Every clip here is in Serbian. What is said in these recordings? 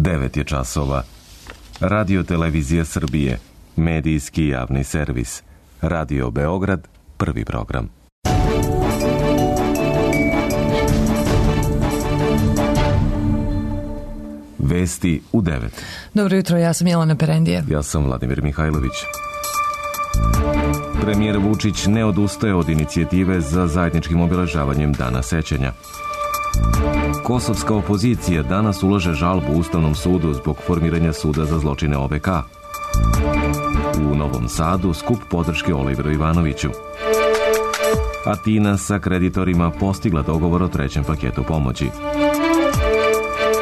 9 je časova. Radio Televizija Srbije, medijski javni servis. Radio Beograd, prvi program. Vesti u 9. Dobro jutro, ja sam Jelena Perendija. Ja sam Vladimir Mihajlović. Premijer Vučić ne odustaje od inicijative za zajedničkim obeležavanjem Dana sećanja. Kosovska opozicija danas ulaže žalbu Ustavnom sudu zbog formiranja suda za zločine OVK. U Novom Sadu skup podrške Oliveru Ivanoviću. Atina sa kreditorima postigla dogovor o trećem paketu pomoći.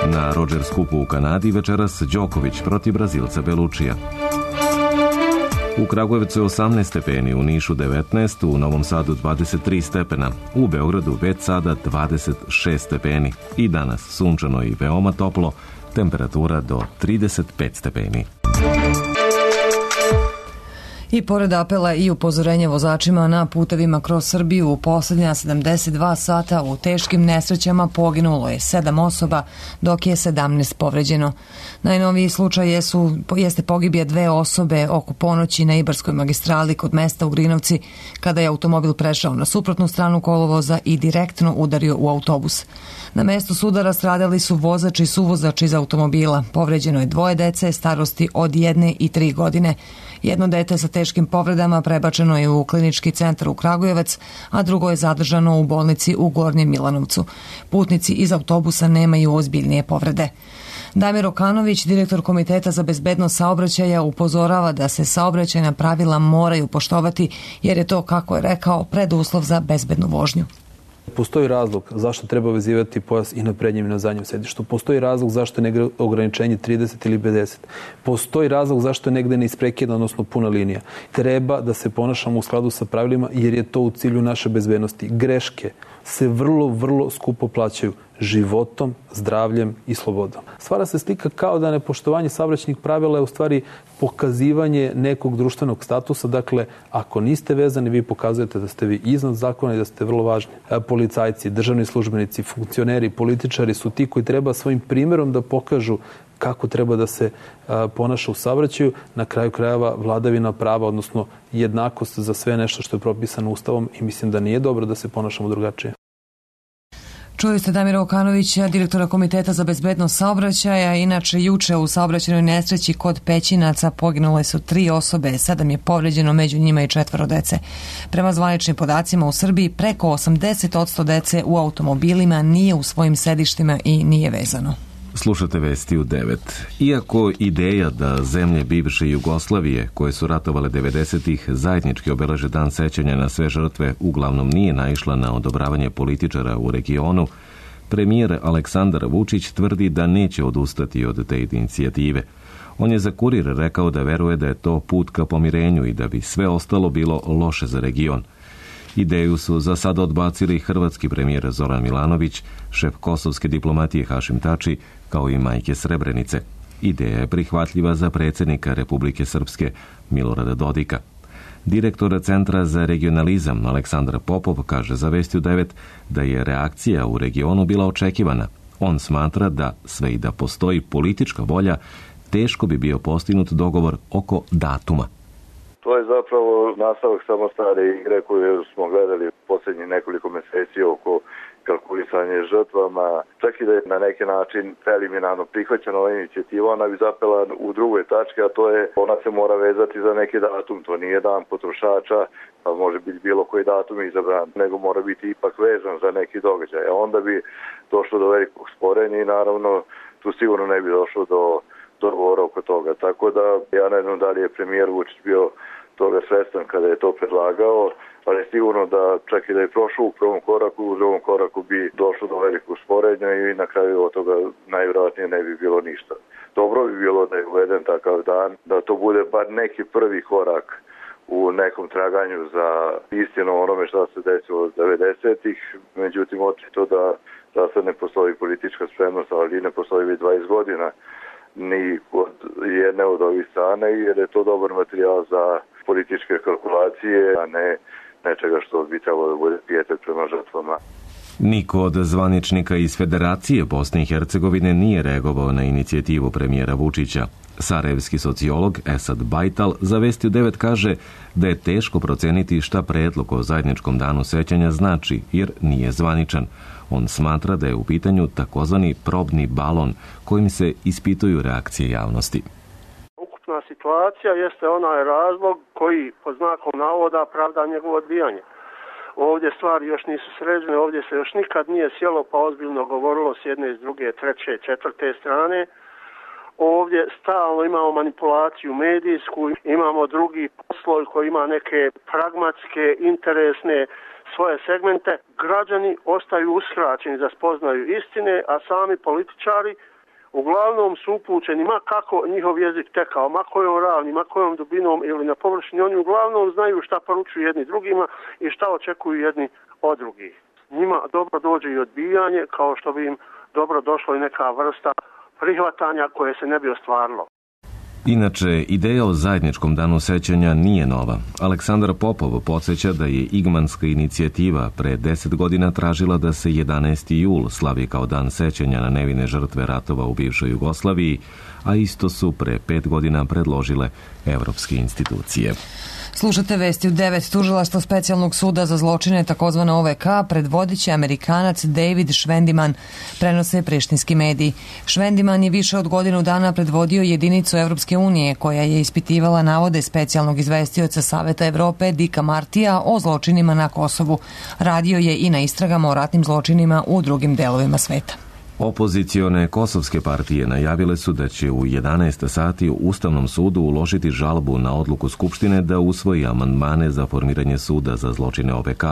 Na Rodgers Cupu u Kanadi večeras Đoković protiv Brazilca Belučija. U Kragujevcu je 18 stepeni, u Nišu 19, u Novom Sadu 23 stepena, u Beogradu već sada 26 stepeni i danas sunčano i veoma toplo, temperatura do 35 stepeni. I pored apela i upozorenja vozačima na putevima kroz Srbiju, u posljednja 72 sata u teškim nesrećama poginulo je 7 osoba, dok je 17 povređeno. Najnoviji slučaj jeste pogibije 2 osobe oko ponoći na Ibarskoj magistrali kod mesta Ugrinovci, kada je automobil prešao na suprotnu stranu kolovoza i direktno udario u autobus. Na mestu sudara stradali su vozač i suvozač iz automobila. Povređeno je 2 dece starosti od 1 i 3 godine. Jedno dete sa teškim povredama prebačeno je u klinički centar u Kragujevac, a drugo je zadržano u bolnici u Gornjem Milanovcu. Putnici iz autobusa nemaju ozbiljnije povrede. Damir Okanović, direktor Komiteta za bezbednost saobraćaja, upozorava da se saobraćajna pravila moraju poštovati, jer je to, kako je rekao, preduslov za bezbednu vožnju. Postoji razlog zašto treba vezivati pojas i na prednjem i na zadnjem sedištu. Postoji razlog zašto je negde ograničenje 30 ili 50. Postoji razlog zašto je negde neisprekidna, odnosno puna linija. Treba da se ponašamo u skladu sa pravilima, jer je to u cilju naše bezbednosti. Greške se vrlo skupo plaćaju životom, zdravljem i slobodom. Stvara se slika kao da nepoštovanje saobraćajnih pravila je u stvari pokazivanje nekog društvenog statusa. Dakle, ako niste vezani, vi pokazujete da ste vi iznad zakona i da ste vrlo važni. Policajci, državni službenici, funkcioneri, političari su ti koji treba svojim primjerom da pokažu kako treba da se ponaša u saobraćaju. Na kraju krajeva vladavina prava, odnosno jednakost za sve nešto što je propisano Ustavom, i mislim da nije dobro da se ponašamo drugačije. Čuli ste Damira Okanovića, direktora Komiteta za bezbednost saobraćaja. Inače, juče u saobraćajnoj nesreći kod Pećinaca poginule su 3 osobe, 7 je povređeno, među njima i 4 dece. Prema zvaničnim podacima u Srbiji, preko 80% dece u automobilima nije u svojim sedištima i nije vezano. Slušate vesti u 9. Iako ideja da zemlje bivše Jugoslavije, koje su ratovale 90-ih, zajednički obeleže dan sećanja na sve žrtve, uglavnom nije naišla na odobravanje političara u regionu, premijer Aleksandar Vučić tvrdi da neće odustati od te inicijative. On je za Kurir rekao da veruje da je to put ka pomirenju i da bi sve ostalo bilo loše za region. Ideju su za sada odbacili hrvatski premijer Zoran Milanović, šef kosovske diplomatije Hašim Tači, kao i majke Srebrenice. Ideja je prihvatljiva za predsjednika Republike Srpske Milorada Dodika. Direktor Centra za regionalizam Aleksandar Popov kaže za Vesti u 9 da je reakcija u regionu bila očekivana. On smatra da sve i da postoji politička volja, teško bi bio postignut dogovor oko datuma. To je zapravo nastavak samo stare igre koju smo gledali posljednjih nekoliko mjeseci oko kalkulisanje žrtvama. Čak i da je na neki način preliminarno prihvaćena ova inicijativa, ona bi zapela u drugoj tački, a to je ona se mora vezati za neki datum. To nije dan potrošača, pa može biti bilo koji datum izabran, nego mora biti ipak vezan za neki događaj. A onda bi došlo do velikog sporenja i naravno tu sigurno ne bi došlo do dogovora oko toga. Tako da ja ne znam da li je premijer Vučić bio toga svestan kada je to predlagao, ali sigurno da čak i da je prošao u prvom koraku, u drugom koraku bi došlo do velikog sporenja i na kraju od toga najvjerojatnije ne bi bilo ništa. Dobro bi bilo da je uveden takav dan, da to bude bar neki prvi korak u nekom traganju za istinu onome što se desilo od 90-ih. Međutim, očito da sad ne postoji politička spremnost, ali ne postoji već 20 godina ni kod jedne od ovih strane, jer je to dobar materijal za političke kalkulacije, a ne nečega što bi trebalo da bude pijetet prema žrtvama. Niko od zvaničnika iz Federacije Bosne i Hercegovine nije reagovao na inicijativu premijera Vučića. Sarajevski sociolog Esad Bajtal za Vesti u 9 kaže da je teško proceniti šta predlog o zajedničkom danu sećanja znači, jer nije zvaničan. On smatra da je u pitanju takozvani probni balon kojim se ispituju reakcije javnosti. Ukupna situacija jeste onaj razlog koji, pod znakom navoda, pravda njegovo odbijanje. Ovdje stvari još nisu sređene, ovdje se još nikad nije sjelo pa ozbiljno govorilo s jedne, s druge, treće, četvrte strane. Ovdje stalno imamo manipulaciju medijsku, imamo drugi posloj koji ima neke pragmatske, interesne svoje segmente. Građani ostaju uskraćeni za spoznaju istine, a sami političari uglavnom su upućeni, ma kako njihov jezik tekao, ma kojom ravni, ma kojom dubinom ili na površini, oni uglavnom znaju šta poručuju jedni drugima i šta očekuju jedni od drugih. Njima dobro dođe i odbijanje, kao što bi im dobro došlo i neka vrsta prihvatanja koje se ne bi ostvarilo. Inače, ideja o zajedničkom danu sećanja nije nova. Aleksandar Popov podsjeća da je Igmanska inicijativa pre 10 godina tražila da se 11. jul slavi kao dan sećanja na nevine žrtve ratova u bivšoj Jugoslaviji, a isto su pre 5 godina predložile evropske institucije. Slušate Vesti u 9. Tužilaštvo specijalnog suda za zločine takozvana OVK predvodiće Amerikanac David Švendiman, prenose prištinski mediji. Švendiman je više od godinu dana predvodio jedinicu Evropske unije koja je ispitivala navode specijalnog izvestioca Saveta Evrope Dika Martija o zločinima na Kosovu. Radio je i na istragama o ratnim zločinima u drugim delovima sveta. Opozicione kosovske partije najavile su da će u 11 sati u Ustavnom sudu uložiti žalbu na odluku Skupštine da usvoji amandmane za formiranje suda za zločine OVK.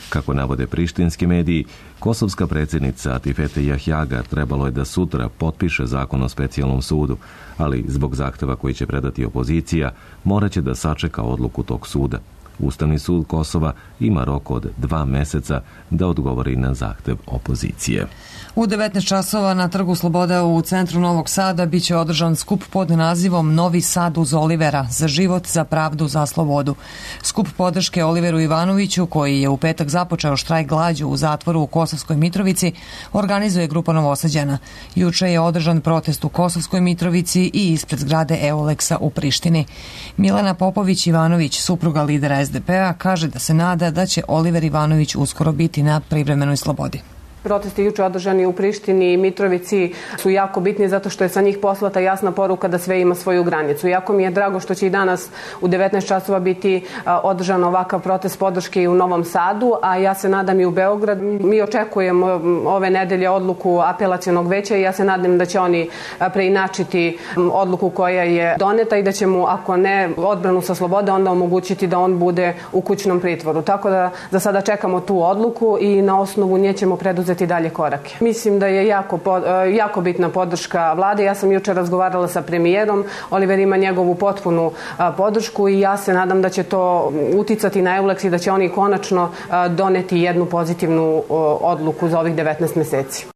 Kako navode prištinski mediji, kosovska predsjednica Atifete Jahjaga trebalo je da sutra potpiše zakon o specijalnom sudu, ali zbog zahteva koji će predati opozicija, moraće da sačeka odluku tog suda. Ustavni sud Kosova ima rok od 2 meseca da odgovori na zahtev opozicije. U 19 časova na Trgu Sloboda u centru Novog Sada biće održan skup pod nazivom Novi Sad uz Olivera, za život, za pravdu, za slobodu. Skup podrške Oliveru Ivanoviću, koji je u petak započeo štrajk glađu u zatvoru u Kosovskoj Mitrovici, organizuje grupa Novosađana. Juče je održan protest u Kosovskoj Mitrovici i ispred zgrade Euleksa u Prištini. Milena Popović-Ivanović, supruga lidera SDP-a, kaže da se nada da će Oliver Ivanović uskoro biti na privremenoj slobodi. Protesti juče održani u Prištini i Mitrovici su jako bitni zato što je sa njih poslata jasna poruka da sve ima svoju granicu. Jako mi je drago što će i danas u 19 časova biti održan ovakav protest podrške i u Novom Sadu, a ja se nadam i u Beograd. Mi očekujemo ove nedelje odluku apelacionog veća i ja se nadam da će oni preinačiti odluku koja je doneta i da će mu, ako ne odbranu sa slobode, onda omogućiti da on bude u kućnom pritvoru. Tako da za sada čekamo tu odluku i na osnovu nje ćemo preduzeti dalje korake. Mislim da je jako bitna podrška vlade. Ja sam juče razgovarala sa premijerom. Oliver ima njegovu potpunu podršku i ja se nadam da će to uticati na Euleks i da će oni konačno doneti jednu pozitivnu odluku za ovih 19 meseci.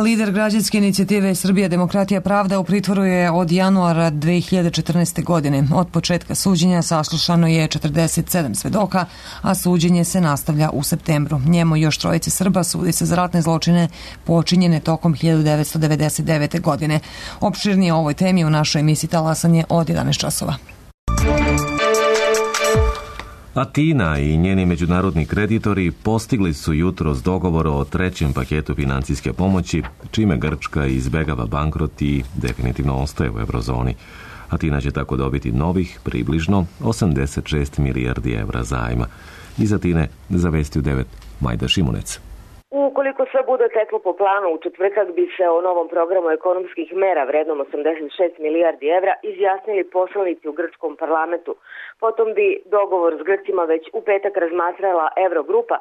Lider građanske inicijative Srbija demokratija pravda u pritvoru je od januara 2014. godine. Od početka suđenja saslušano je 47 svedoka, a suđenje se nastavlja u septembru. Njemu i još trojice Srba sudi se za ratne zločine počinjene tokom 1999. godine. Opširnije o ovoj temi u našoj emisiji Talasanje od 11 časova. Atina i njeni međunarodni kreditori postigli su jutros dogovor o trećem paketu financijske pomoći, čime Grčka izbegava bankrot i definitivno ostaje u eurozoni. Atina će tako dobiti novih, približno 86 milijardi evra zajma. Iz Atine za Vesti u 9, Majda Šimunec. Ukoliko sve bude teklo po planu, u četvrtak bi se o novom programu ekonomskih mera vrednom 86 milijardi evra izjasnili poslanici u grčkom parlamentu. Potom bi dogovor s Grcima već u petak razmatrala Eurogrupa,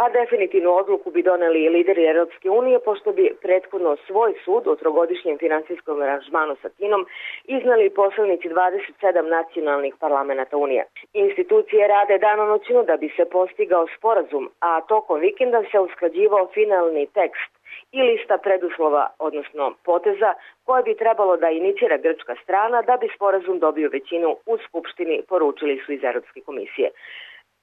a definitivnu odluku bi doneli i lideri Europske unije, pošto bi prethodno svoj sud o trogodišnjem finansijskom aranžmanu sa Atinom iznali poslanici 27 nacionalnih parlamenta Unije. Institucije rade danonoćno da bi se postigao sporazum, a tokom vikenda se usklađivao finalni tekst i lista preduslova, odnosno poteza, koje bi trebalo da inicira grčka strana da bi sporazum dobio većinu u Skupštini, poručili su iz Europske komisije.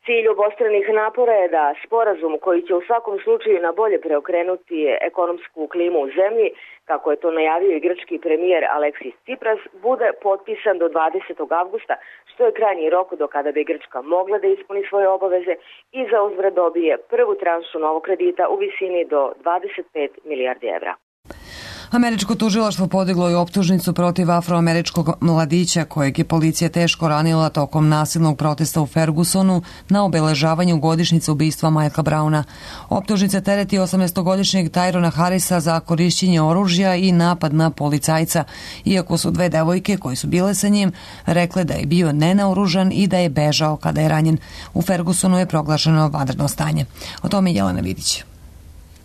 Cilj obostranih napora je da sporazum koji će u svakom slučaju na bolje preokrenuti ekonomsku klimu u zemlji, kako je to najavio i grčki premijer Aleksis Tsipras, bude potpisan do 20. avgusta, što je krajnji rok do kada bi Grčka mogla da ispuni svoje obaveze i za uzvrat dobije prvu tranšu novog kredita u visini do 25 milijardi evra. Američko tužilaštvo podiglo je optužnicu protiv afroameričkog mladića kojeg je policija teško ranila tokom nasilnog protesta u Fergusonu na obeležavanju godišnjice ubistva Michaela Browna. Optužnica tereti 18-godišnjeg Tyrona Harrisa za korišćenje oružja i napad na policajca, iako su dve devojke koje su bile sa njim rekle da je bio nenaoružan i da je bežao kada je ranjen. U Fergusonu je proglašeno vanredno stanje. O tome je Jelena Vidić.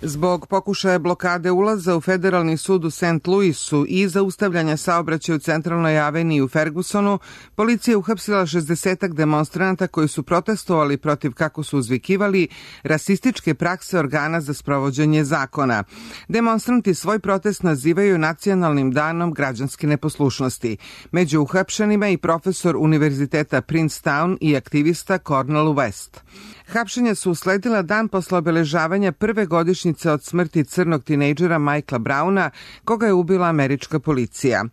Zbog pokušaja blokade ulaza u Federalni sud u St. Louisu i zaustavljanja saobraćaja u centralnoj aveniji u Fergusonu, policija je uhapsila 60-ak demonstranata koji su protestovali protiv, kako su uzvikivali, rasističke prakse organa za sprovođenje zakona. Demonstranti svoj protest nazivaju Nacionalnim danom građanske neposlušnosti. Među uhapšenima i profesor Univerziteta Princetown i aktivista Cornel West. Hapšenja su usledila dan posle obeležavanja prve godišnjice od smrti crnog tinejdžera Michaela Browna, koga je ubila američka policija.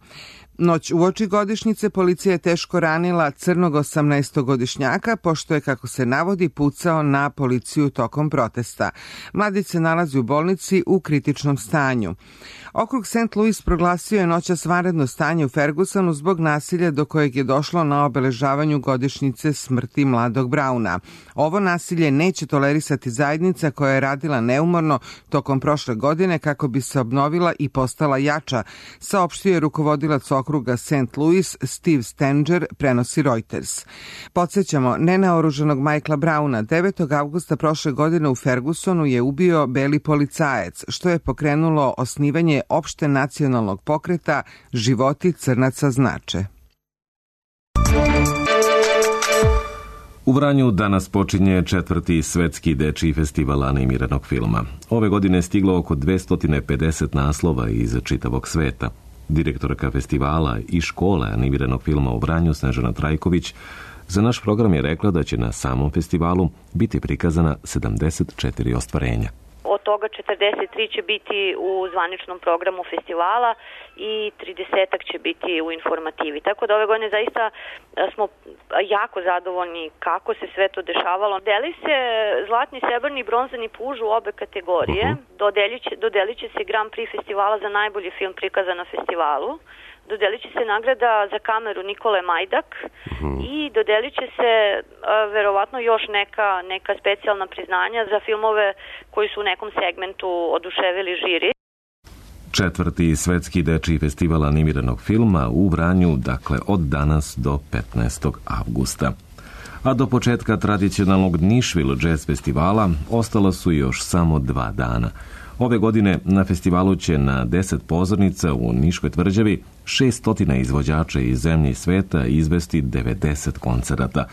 Noć uoči godišnjice policija je teško ranila crnog 18-godišnjaka, pošto je, kako se navodi, pucao na policiju tokom protesta. Mladić se nalazi u bolnici u kritičnom stanju. Okrug St. Louis proglasio je noćas vanredno stanje u Fergusonu zbog nasilja do kojeg je došlo na obeležavanju godišnjice smrti mladog Browna. Ovo nasilje neće tolerisati zajednica koja je radila neumorno tokom prošle godine kako bi se obnovila i postala jača, saopštio je rukovodilac okruga St. Louis Steve Stenger, prenosi Reuters. Podsjećamo, nenaoružanog Michaela Browna 9. avgusta prošle godine u Fergusonu je ubio beli policajac, što je pokrenulo osnivanje opšte nacionalnog pokreta Životi crnaca znače. U Vranju danas počinje 4. svetski dečiji festival animiranog filma. Ove godine je stiglo oko 250 naslova iz čitavog sveta. Direktorka festivala i škole animiranog filma u Vranju, Snežana Trajković, za naš program je rekla da će na samom festivalu biti prikazana 74 ostvarenja. Od toga 43 će biti u zvaničnom programu festivala i 30 će biti u informativi. Tako da ove godine zaista smo jako zadovoljni kako se sve to dešavalo. Deli se zlatni, srebrni i bronzani puž u obe kategorije. Dodelit će se Grand Prix festivala za najbolji film prikazan na festivalu. Dodelit će se nagrada za kameru Nikole Majdak i dodelit će se verovatno još neka specijalna priznanja za filmove koji su u nekom segmentu oduševili žiri. 4. svetski dečiji festival animiranog filma u Vranju, dakle od danas do 15. avgusta. A do početka tradicionalnog Nišvil jazz festivala ostala su još samo 2 dana. Ove godine na festivalu će na 10 pozornica u Niškoj tvrđavi 600 izvođača iz zemlje i sveta izvesti 90 koncerata.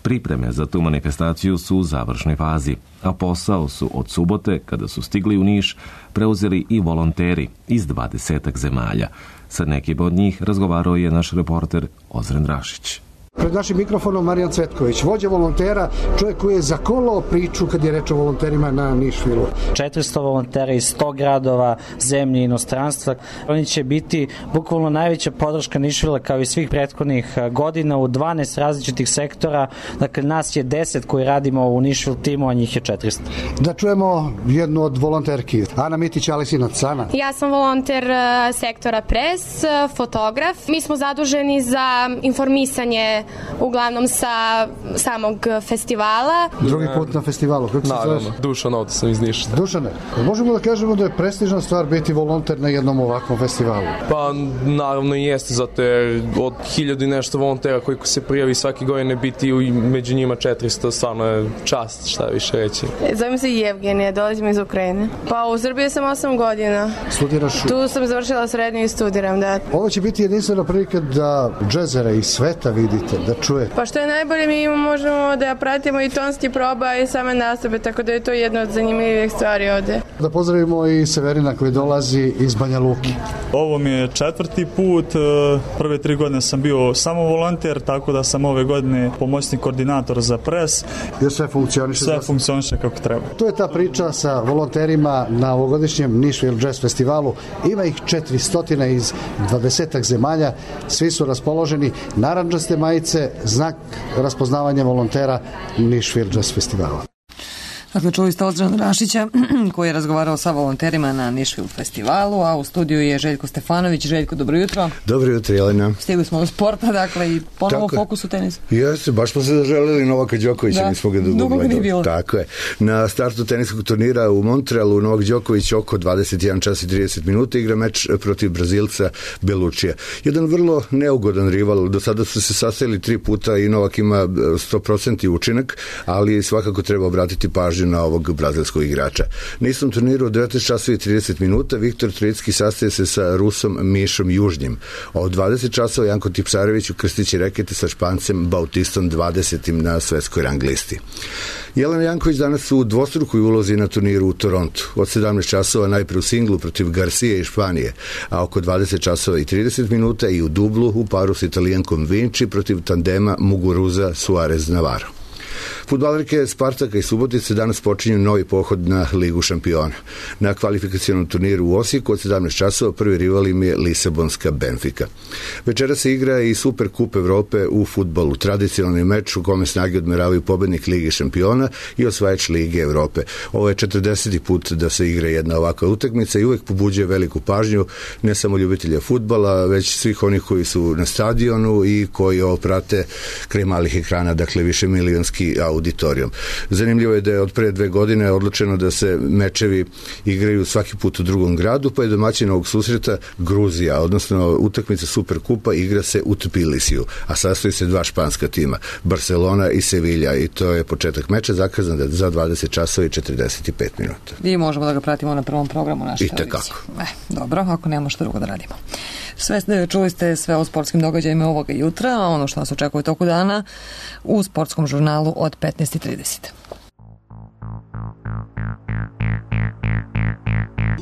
Pripreme za tu manifestaciju su u završnoj fazi, a posao su od subote, kada su stigli u Niš, preuzeli i volonteri iz 20 zemalja. Sa nekim od njih razgovarao je naš reporter Ozren Rašić. Pred našim mikrofonom Marijan Cvetković, vođa volontera, čovjek koji je zakolao priču kad je reč o volonterima na Nišvilu. 400 volontera iz 100 gradova, zemlje i inostranstva. Oni će biti bukvalno najveća podrška Nišvila kao i svih prethodnih godina u 12 različitih sektora. Dakle, nas je 10 koji radimo u Nišvil timu, a njih je 400. Da čujemo jednu od volonterki. Ana Mitić, Aleksinac. Ana. Ja sam volonter sektora Pres, fotograf. Mi smo zaduženi za informisanje uglavnom sa samog festivala. Drugi put na festivalu. Kako se zoveš? Dušan, ovdje sam iz Niša. Dušane, možemo da kažemo da je prestižna stvar biti volonter na jednom ovakvom festivalu? Pa naravno i jeste, zato je od 1000 i nešto volontera koji se prijavi svake godine biti među njima 400, stvarno je čast, šta više reći. Zovem se Jevgenija, dolazim iz Ukrajine. Pa u Srbiji sam 8 godina. Studiraš? Tu sam završila srednju i studiram, da. Ovo će biti jedinstvena prilika da džezere iz sveta vidite želite da čujete? Pa što je najbolje, mi možemo da pratimo i tonski proba i same nastupe, tako da je to jedna od zanimljivih stvari ovde. Da pozdravimo i Severina koji dolazi iz Banja Luke. Ovo mi je 4. put, prve 3 godine sam bio samo volonter, tako da sam ove godine pomoćni koordinator za pres. Jer sve funkcioniše? Sve funkcioniše kako treba. To je ta priča sa volonterima na ovogodišnjem Nashville Jazz Festivalu. Ima ih 400 iz 20 zemalja, svi su raspoloženi. Narandžaste majice, znak raspoznavanja volontera Nashville Jazz Festivala. Dakle, čuli ste Ozran Rašića koji je razgovarao sa volonterima na Nashville festivalu, a u studiju je Željko Stefanović. Željko, dobro jutro. Dobro jutro, Jelena. Stigli smo do sporta, dakle, i ponovo fokus u tenisu. Jeste, baš smo se zaželili Novaka Đokovića, mi smo ga dugo nije bilo. Tako je. Na startu teniskog turnira u Montrealu Novak Đoković oko 21 čas i 30 minuta igra meč protiv Brazilca Belučija. Jedan vrlo neugodan rival, do sada su se sastajali 3 puta i Novak ima 100% učinak, ali svakako treba obratiti pažnju na ovog brazilskog igrača. Na istom turniru od 19 časova i 30 minuta Viktor Trojicki sastaje se sa Rusom Mišom Južnjim. Od 20 časova Janko Tipsarević ukrstiće rekete sa Špancem Bautistom 20. na svetskoj rang listi. Jelena Janković danas u dvostrukoj ulozi na turniru u Torontu. Od 17 časova najpre u singlu protiv Garcije i Španije, a oko 20 časova i 30 minuta i u dublu u paru s Italijankom Vinci protiv tandema Muguruza Suarez Navarro. Fudbalerke Spartaka i Subotice danas počinju novi pohod na Ligu šampiona. Na kvalifikacionom turniru u Osijeku od 17 časova prvi rival im je Lisabonska Benfica. Večera se igra i Super kup Evrope u fudbalu, tradicionalni meč u kome snage odmeravaju pobednik Lige šampiona i osvajač Lige Evrope. Ovo je 40. put da se igra jedna ovakva utakmica i uvek pobuđuje veliku pažnju ne samo ljubitelja fudbala, već svih onih koji su na stadionu i koji ovo prate kraj malih ekrana, dakle više milionski auditorijum. Zanimljivo je da je od pre 2 godine odlučeno da se mečevi igraju svaki put u drugom gradu, pa je domaćin ovog susreta Gruzija, odnosno utakmica Superkupa igra se u Tbilisiju, a sastoji se 2 španska tima, Barcelona i Sevilla, i to je početak meča zakazan za 20 časova i 45 minuta. I možemo da ga pratimo na prvom programu naše televizije. I tekako. Dobro, ako nemamo što drugo da radimo. Čuli ste sve o sportskim događajima ovoga jutra, a ono što nas očekuje toku dana u sportskom žurnalu od 15:30.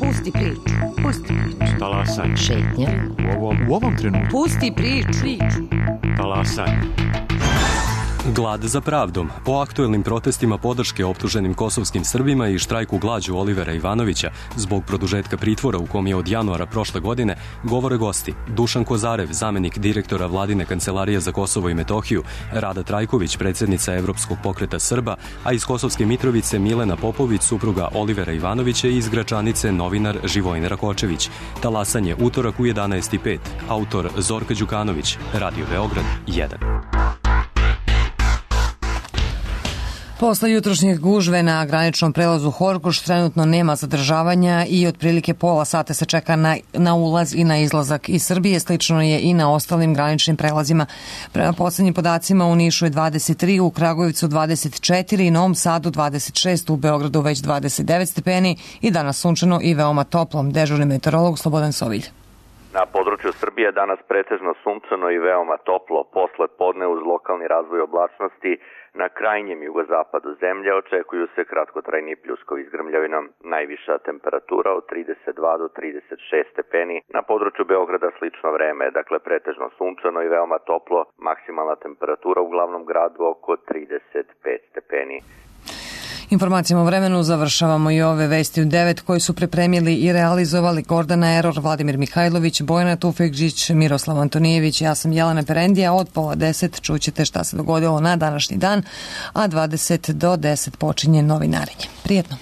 Pusti priču. Talasaj. Šetnja. U ovom trenutku. Pusti priču. Talasaj. Glad za pravdom. O aktuelnim protestima podrške optuženim kosovskim Srbima i štrajku glađu Olivera Ivanovića zbog produžetka pritvora u kom je od januara prošle godine govore gosti Dušan Kozarev, zamenik direktora Vladine kancelarije za Kosovo i Metohiju, Rada Trajković, predsjednica Evropskog pokreta Srba, a iz Kosovske Mitrovice Milena Popović, supruga Olivera Ivanovića, i iz Gračanice novinar Živojin Rakočević. Talasanje utorak u 11:05. Autor Zorka Đukanović, Radio Beograd 1. Posle jutrošnjeg gužve na graničnom prelazu Horgoš trenutno nema zadržavanja i otprilike pola sata se čeka na ulaz i na izlazak iz Srbije. Slično je i na ostalim graničnim prelazima. Prema poslednjim podacima u Nišu je 23, u Kragujevcu 24, Novom Sadu 26, u Beogradu već 29 stepeni i danas sunčano i veoma toplo. Dežurni meteorolog Slobodan Sovilj. Na području Srbije danas pretežno sunčano i veoma toplo. Posle podne uz lokalni razvoj oblačnosti na krajnjem jugozapadu zemlje očekuju se kratkotrajni pljuskovi s grmljavinom. Najviša temperatura od 32 do 36 stepeni. Na području Beograda slično vreme, dakle pretežno sunčano i veoma toplo. Maksimalna temperatura u glavnom gradu oko 35 stepeni. Informacijama o vremenu završavamo i ove vesti u 9 koji su pripremili i realizovali Gordana Eror, Vladimir Mihajlović, Bojana Tufekžić, Miroslav Antonijević. Ja sam Jelena Perendija. Od 9:30 čućete šta se dogodilo na današnji dan, a 20 do 10 počinje novinarenje. Prijetno.